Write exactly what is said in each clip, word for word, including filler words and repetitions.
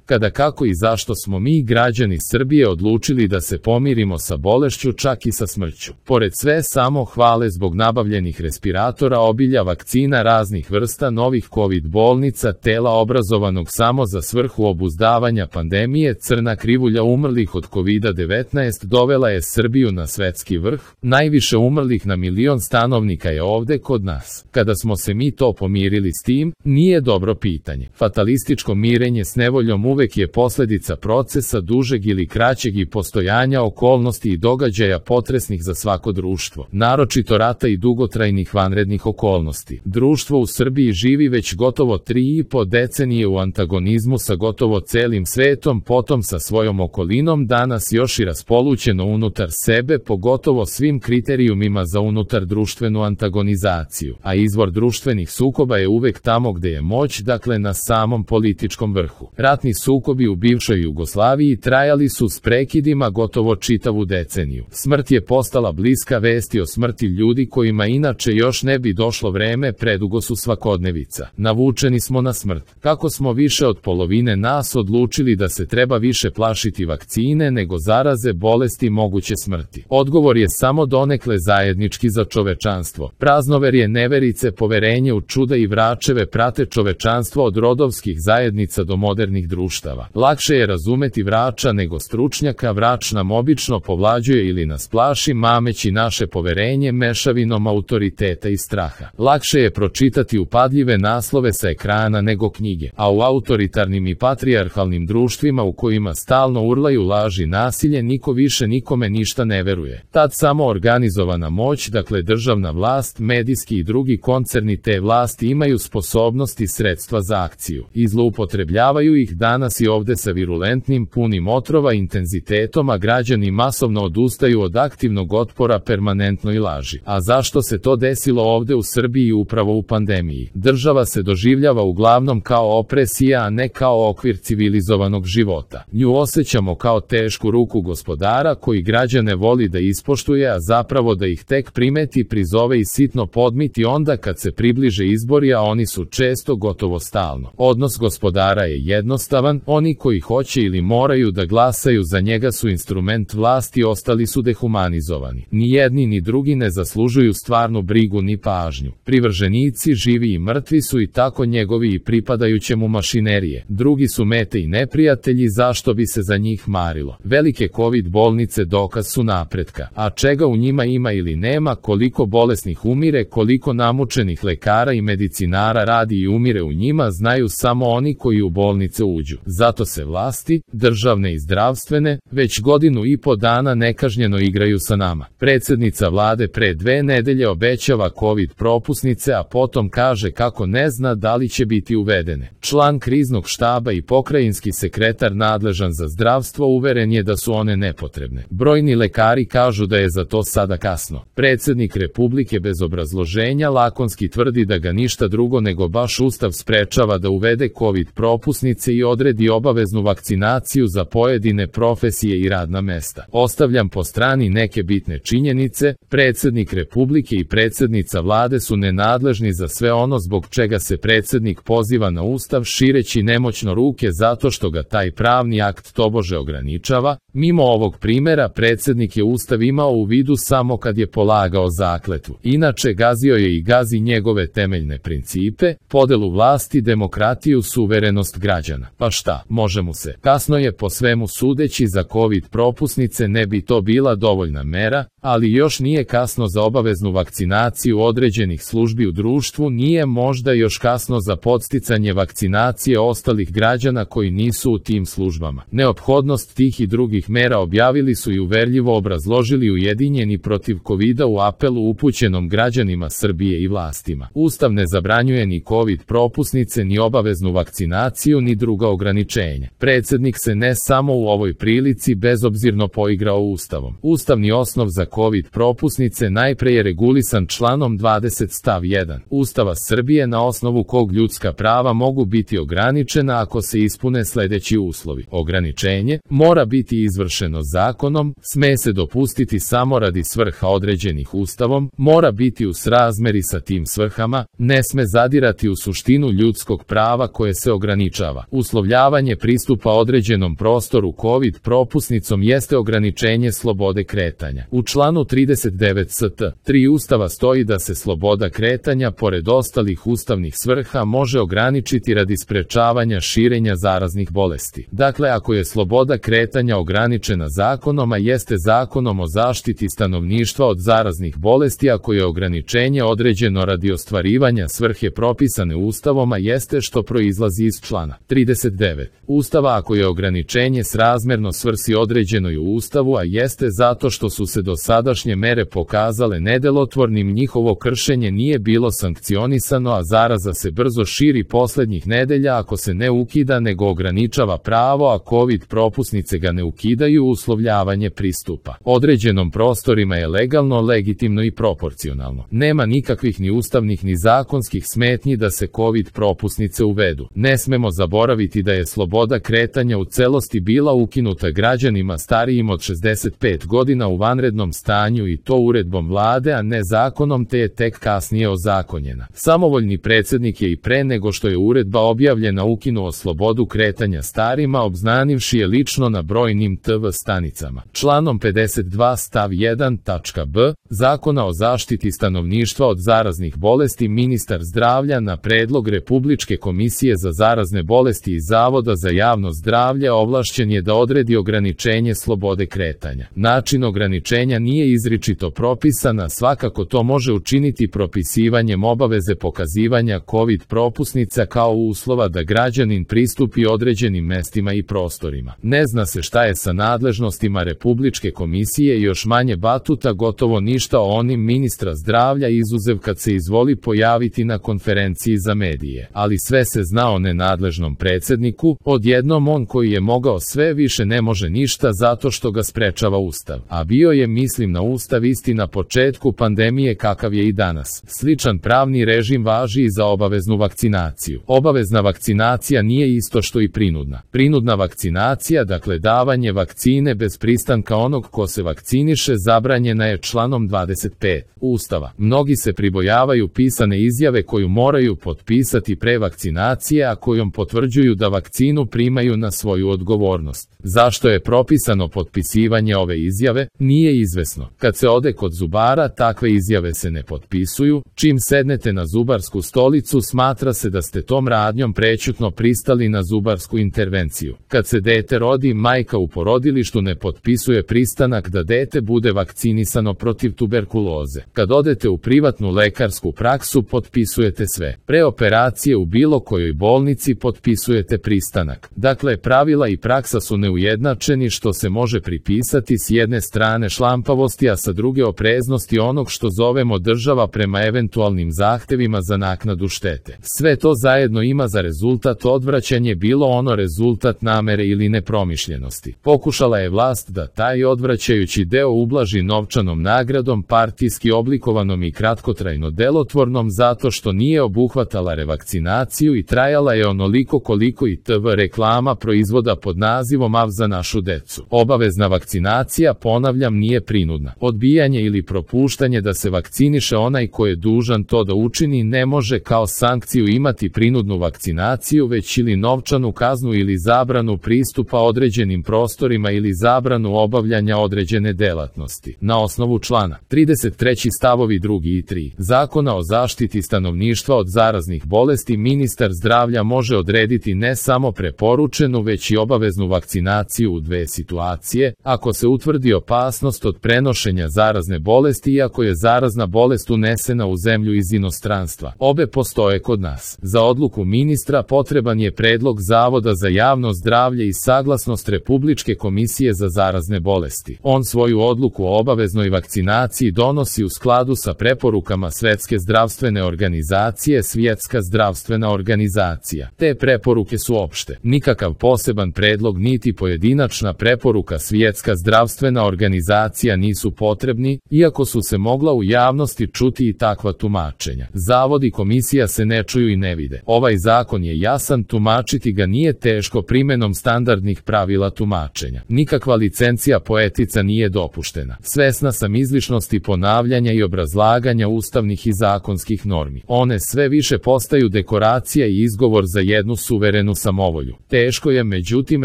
kada, kako i zašto smo mi, građani Srbije, odlučili da se pomirimo sa bolešću, čak i sa smrću. Pored sve samo hvale zbog nabavljenih respiratora, obilja, vakcina raznih vrsta, novih kovid bolnica, tela obrazovanog samo za svrhu obuzdavanja pandemije, crna krivulja umrlih od kovida devetnaest dovela je Srbiju na svetski vrh. Najviše umrlih na milion stanovnika je ovde kod nas. Kada smo se mi to pomirili s tim, nije dobro pitanje. Fatalističko mirenje s nevoljom uvek je posledica procesa dužeg ili kraćeg i postojanja okolnosti i događaja potresnih za svako društvo, naročito rata i dugotrajnih vanrednih okolnosti. Društvo u Srbiji živi već gotovo tri i po decenije u antagonizmu sa gotovo celim svetom, potom sa svojom okolinom, danas još i raspolućeno unutar sebe, pogotovo svim kriterijumima za unutar društvenu antagonizaciju, a izvor društvenih sukoba je uvek tamo gde je moć, dakle na samom političkom vrhu. Ratni sukobi u bivšoj Jugoslaviji trajali su s prekidima gotovo čitavu deceniju. Smrt je postala bliska, vesti o smrti ljudi kojima inače još ne bi došlo vreme predugo su svakodnevica. Navučeni smo na smrt. Kako smo više od polovine nas odlučili da se treba više plašiti vakcine nego zaraze, bolesti, moguće smrti? Odgovor je samo donekle zajednički za čovečanstvo. Praznoverje, neverice, poverenje u čuda i vračeve prate čovečanstvo od rodovskih zajednica do modernih društava. Lakše je razumeti vrača nego stručnjaka, vrač nam obično povlađuje ili nas plaši, mameći naše poverenje mešavinom autoriteta i straha. Lakše je pročitati upadljive naslove sa ekrana nego knjige, a u autoritarnim i patrijarhalnim društvima u kojima stalno urlaju laži, nasilje, niko više nikome ništa ne veruje. Tad samo organizovana moć, dakle državna vlast, medijski i drugi koncerni te vlasti imaju sposobnost i sredstva za akciju i zloupotrebljavaju ih danas i ovde sa virulentnim, punim otrova intenzitetom, a građani masovno odustaju od aktivnog otpora permanentnoj laži. A zašto se to desilo ovde u Srbiji upravo u pandemiji? Država se doživljava uglavnom kao opresija, a ne kao okvir civilizovanog života. Nju osjećamo kao tešku ruku gospodara koji građane voli da ispoštuje, a zapravo da ih tek primeti, prizove i sitno podmiti onda kad se približe izbori, a oni su često gotovo stalno. Odnos gospodara je jednostavan, oni koji hoće ili moraju da glasaju za njega su instrument vlasti, ostali su dehumanizovani. Ni jedni ni drugi ne zaslužuju stvarnu brigu ni pažnju. Privrženici, živi i mrtvi, su i tako njegovi i pripadajuće mu mašinerije. Drugi su mete i neprijatelji, zašto bi se za njih marilo? Velike kovid bolnice dokaz su napretka, a čega u njima ima ili nema, koliko bolesnih umire, koliko namučenih lekara i medicinara radi i umire u njima, znaju samo oni koji u bolnice uđu. Zato se vlasti, državne i zdravstvene, već godinu i po dana nekažnjeno igraju sa nama. Predsednica vlade pre dve nedelje obećava kovid propusnice, a potom kaže kako ne zna da li će biti uvedene. Član kriznog štaba i pokrajinski sekretar nadležan za zdravstvo uveren je da su one nepotrebne. Brojni lekari kažu da je za to sada kasno. Predsednik Republike bez obrazloženja lakonski tvrdi da ga ništa drugo nego baš Ustav sprečava da uvede kovid propusnice i odredi obaveznu vakcinaciju za pojedine profesije i radna mesta. Ostavljam po strani neke bitne činjenice, predsednik Republike i predsednica vlade su nenadležni za sve ono zbog čega se predsednik poziva na Ustav, šireći nemoćno ruke zato što ga taj pravni akt tobože ograničava. Mimo ovog primera, predsednik je Ustav imao u vidu samo kad je polagao zakletvu. Inače, gazio je i gazi njegove temeljne principe, podelu vlasti, demokratiju, suverenost građana. Pa šta, može mu se. Kasno je po svemu sudeći za kovid propusnice, ne bi to bila dovoljna mera, ali još nije kasno za obaveznu vakcinaciju određenih službi u društvu, nije možda još kasno za podsticanje vakcinacije ostalih građana koji nisu u tim službama. Neophodnost tih i drugih mera objavili su i uverljivo obrazložili Ujedinjeni protiv kovida u apelu upućenom građanima Srbije i vlastima. Ustav ne zabranjuje ni kovid propusnice, ni obaveznu vakcinaciju, ni druga ograničenja. Predsednik se ne samo u ovoj prilici bezobzirno poigrao Ustavom. Ustavni osnov za COVID propusnice najpre je regulisan članom dvadeset stav jedan Ustava Srbije, na osnovu kog ljudska prava mogu biti ograničena ako se ispune sledeći uslovi. Ograničenje mora biti izvršeno zakonom, sme se dopustiti samo radi svrha određenih Ustavom, mora biti u srazmeri sa tim svrhama, ne sme zadirati u suštinu ljudskog prava koje se ograničava. Uslovljavanje pristupa određenom prostoru COVID propusnicom jeste ograničenje slobode kretanja. U članu trideset devet st. tri Ustava stoji da se sloboda kretanja, pored ostalih ustavnih svrha, može ograničiti radi sprečavanja širenja zaraznih bolesti. Dakle, ako je sloboda kretanja ograničena zakonom, a jeste Zakonom o zaštiti stanovništva od zaraznih bolesti, ako je ograničenje određeno radi ostvarivanja svrhe propisane Ustavom, a jeste što proizlazi iz člana trideset devet Ustava, ako je ograničenje srazmerno svrsi određenoj u Ustavu, a jeste zato što su se dosadašnje mere pokazale nedelotvornim, njihovo kršenje nije bilo sankcionisano, a zaraza se brzo širi poslednjih nedelja ako se ne ukida nego ograničava pravo, a COVID propusnice ga ne ukidaju. Uslovljavanje pristupa određenom prostorima je legalno, legitimno i proporcionalno. Nema nikakvih ni ustavnih ni zakonskih smetnji da se COVID propusnice uvedu. Ne smemo zaboraviti da je sloboda kretanja u celosti bila ukinuta građanima starijim od šezdeset pet godina u vanrednom stanju, i to uredbom vlade, a ne zakonom, te je tek kasnije ozakonjena. Samovoljni predsednik je i pre nego što je uredba objavljena ukinuo slobodu kretanja starima, obznanivši je lično na brojnim te ve stanicama. Članom pedeset dva stav jedan tačka b Zakona o zaštiti stanovništva od zaraznih bolesti, ministar zdravlja na predlog Republičke komisije za zarazne bolesti i Zavoda za javno zdravlje ovlašćen je da odredi ograničenje slobode kretanja. Način ograničenja nije izričito propisan, a svakako to može učiniti propisivanjem obaveze pokazivanja COVID propusnica kao uslova da građanin pristupi određenim mestima i prostorima. Ne zna se šta je sa nadležnostima Republičke komisije i još manje batuta, gotovo ništa o onim ministra zdravlja, izuzev kad se izvoli pojaviti na konferenciji za medije. Ali sve se zna o nenadležnom predsedniku, odjednom on koji je mogao sve više ne može ništa zato što ga sprečava Ustav. A bio je, mislim na Ustav, isti na početku pandemije kakav je i danas. Sličan pravni režim važi i za obaveznu vakcinaciju. Obavezna vakcinacija nije isto što i prinudna. Prinudna vakcinacija, dakle davanje vakcine bez pristanka onog ko se vakciniše, zabranjena je članom dvadeset pet Ustava. Mnogi se pribojavaju pisane izjave koju moraju potpisati pre vakcinacije, a kojom potvrđuju da vakcinu primaju na svoju odgovornost. Zašto je propisano potpisivanje ove izjave, nije izvesno. Kad se ode kod zubara, takve izjave se ne potpisuju. Čim sednete na zubarsku stolicu, smatra se da ste tom radnjom prećutno pristali na zubarsku intervenciju. Kad se dete rodi, majka u porodilištu ne potpisuje pristanak da dete bude vakcinisano protiv tuberkuloze. Kad odete u privatnu lekarsku praksu, potpisujete sve. Pre operacije u bilo kojoj bolnici potpisujete pristanak. Dakle, pravila i praksa su neujednačeni, što se može pripisati s jedne strane šlampavosti, a sa druge opreznosti onog što zovemo država prema eventualnim zahtevima za naknadu štete. Sve to zajedno ima za rezultat odvraćanje, bilo ono rezultat namere ili nepromišljenosti. Pokušala je vlast da taj odvraćajući deo ublaži novčanom nagradom, partijski oblikovanom i kratkotrajno delotvornom, zato što nije obuhvatala revakcinaciju i trajala je onoliko koliko i te ve reklama proizvoda pod nazivom A V za našu decu. Obavezna vakcinacija, ponavljam, nije prinudna. Odbijanje ili propuštanje da se vakciniše onaj ko je dužan to da učini ne može kao sankciju imati prinudnu vakcinaciju, već ili novčanu kaznu ili zabranu pristupa određenim prostorima ili zabranu obavljanja određene delatnosti. Na osnovu člana trideset treći stavovi drugi i tri Zakona o zaštiti stanovništva od zaraznih bolesti, ministar zdravlja može odrediti ne samo preporučenu, već i obaveznu vakcinaciju u dve situacije: ako se utvrdi opasnost od prenošenja zarazne bolesti i ako je zarazna bolest unesena u zemlju iz inostranstva. Obe postoje kod nas. Za odluku ministra potreban je predlog Zavoda za javno zdravlje i saglasnost Republičke komisije za zarazne bolesti. On svoju odluku o obaveznoj vakcinaciji donosi u skladu sa preporukama Svetske zdravstvene organizacije. Svjetska zdravstvena organizacija. Te preporuke su opšte. Nikakav poseban predlog niti pojedinačna preporuka Svjetska zdravstvena organizacija nisu potrebni, iako su se mogla u javnosti čuti i takva tumačenja. Zavod i komisija se ne čuju i ne vide. Ovaj zakon je jasan, tumačiti ga nije teško primenom standardnih pravila tumačenja. Nikakva licencija poetica nije dopuštena. Svesna sam izlišnosti ponavljanja i obrazlaganja ustavnih i zakonskih normi. One sve više postaju dekoracija i izgovor za jednu suverenu samovolju. Teško je međutim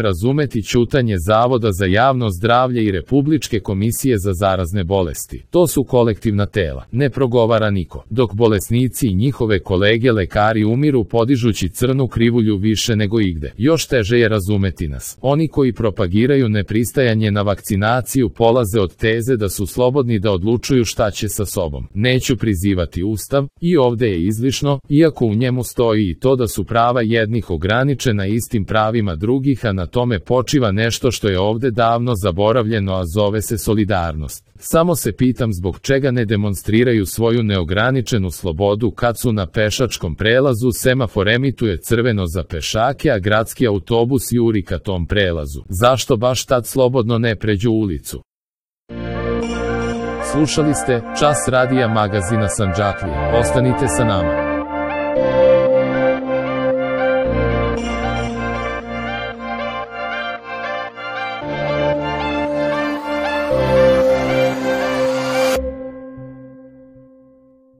razumeti ćutanje Zavoda za javno zdravlje i Republičke komisije za zarazne bolesti. To su kolektivna tela. Ne progovara niko. Dok bolesnici i njihove kolege lekari umiru podižući crnu krivulju više nego igde. Još teže je razumeti nas. Oni koji propagiraju nepristajanje na vakcinaciju polaze od teze da su slobodni da odlučuju šta će sa sobom. Neću prizivati Ustav, i ovde je izlišno, iako u njemu stoji i to da su prava jednih ograničena istim pravima drugih, a na tome počiva nešto što je ovde davno zaboravljeno, a zove se solidarnost. Samo se pitam zbog čega ne demonstriraju svoju neograničenu slobodu kad su na pešačkom prelazu, semafor emituje crveno za pešake, a gradski autobus juri ka tom prelazu. Zašto baš tad slobodno ne pređu ulicu? Slušali ste Čas radija magazina Sandžaklije. Ostanite sa nama.